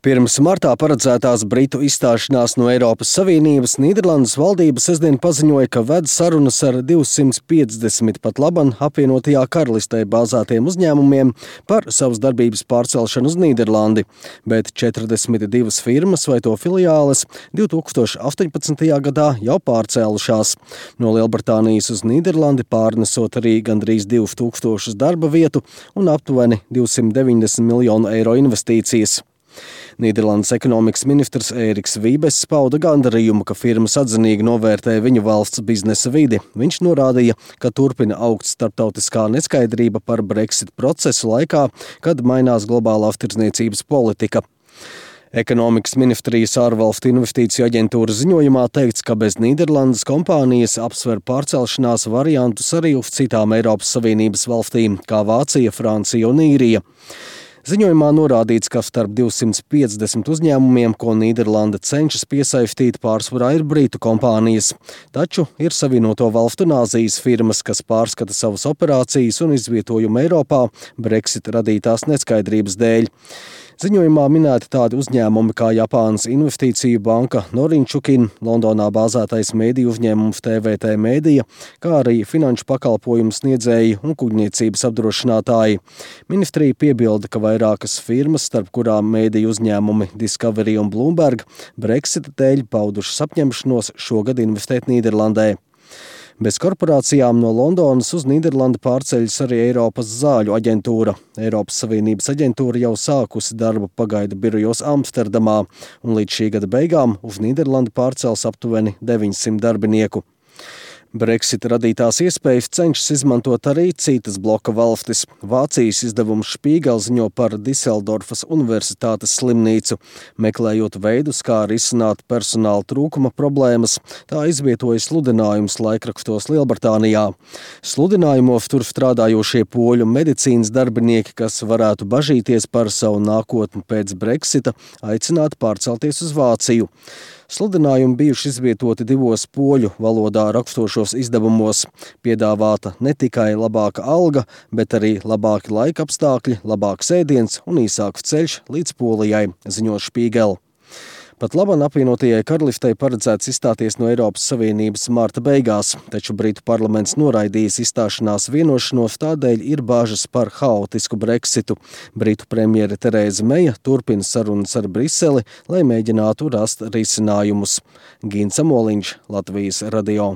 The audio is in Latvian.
Pirms martā paredzētās Britu izstāšanās no Eiropas Savienības Nīderlandes valdība sestdien paziņoja, ka ved sarunas ar 250 pat laban apvienotajā karalistē bāzētiem uzņēmumiem par savas darbības pārcelšanu uz Nīderlandi, bet 42 firmas vai to filiāles 2018. gadā jau pārcēlušās. No Lielbritānijas uz Nīderlandi pārnesot arī gandrīz 2000 darba vietu un aptuveni 290 miljonu eiro investīcijas. Nīderlandes ekonomikas ministrs Ēriks Vībess pauda gandarījumu, ka firmas atzinīgi novērtē viņu valsts biznesa vidi. Viņš norādīja, ka turpina augt starptautiskā neskaidrība par Brexit procesu laikā, kad mainās globālās tirdzniecības politika. Ekonomikas ministrijas ārvalstu investīciju aģentūras ziņojumā teikts, ka bez Nīderlandes kompānijas apsver pārcelšanās variantus arī uz citām Eiropas Savienības valstīm, kā Vācija, Francija un Īrija. Ziņojumā norādīts, ka starp 250 uzņēmumiem, ko Nīderlanda cenšas piesaistīt, pārsvarā ir britu kompānijas. Taču ir Savienoto valstu un Āzijas firmas, kas pārskata savas operācijas un izvietojumu Eiropā Brexit radītās neskaidrības dēļ. Ziņojumā minēti tādi uzņēmumi kā Japānas investīciju banka Norinchukin, Londonā bāzētais mēdīju uzņēmums TVT Media, kā arī finanšu pakalpojumu sniedzēji un kuģniecības apdrošinātāji. Ministrija piebilda, ka vairākas firmas, starp kurām mēdīju uzņēmumi Discovery un Bloomberg, Brexita dēļ paudušas apņemšanos šogad investēt Nīderlandē. Bez korporācijām no Londonas uz Nīderlandi pārceļas arī Eiropas zāļu aģentūra. Eiropas Savienības aģentūra jau sākusi darbu pagaidu birojos Amsterdamā, un līdz šī gada beigām uz Nīderlandi pārcels aptuveni 900 darbinieku. Brexit radītās iespējas cenšas izmantot arī citas bloka valstis. Vācijas izdevums Spiegel ziņo par Diseldorfas universitātes slimnīcu. Meklējot veidus, kā risināt personāla trūkuma problēmas, tā izvietoja sludinājumus laikrakstos Lielbritānijā. Sludinājumos tur strādājošie poļu medicīnas darbinieki, kas varētu bažīties par savu nākotni pēc Brexita, aicināti pārcelties uz Vāciju. Sludinājumi bijuši izvietoti 2 poļu valodā rakstošos izdevumos. Piedāvāta ne tikai labāka alga, bet arī labāki laika apstākļi, labāks ēdiens un īsāks ceļš līdz Polijai, ziņo Spiegel. Pat laban apvienotajai karalistei paredzēts izstāties no Eiropas Savienības marta beigās, taču Britu parlaments noraidījis izstāšanās vienošanos, tādēļ ir bāžas par haotisku Brexitu. Britu premjere Terēza Meja turpina sarunas ar Briseli, lai mēģinātu rast risinājumus. Gins Amoliņš, Latvijas radio.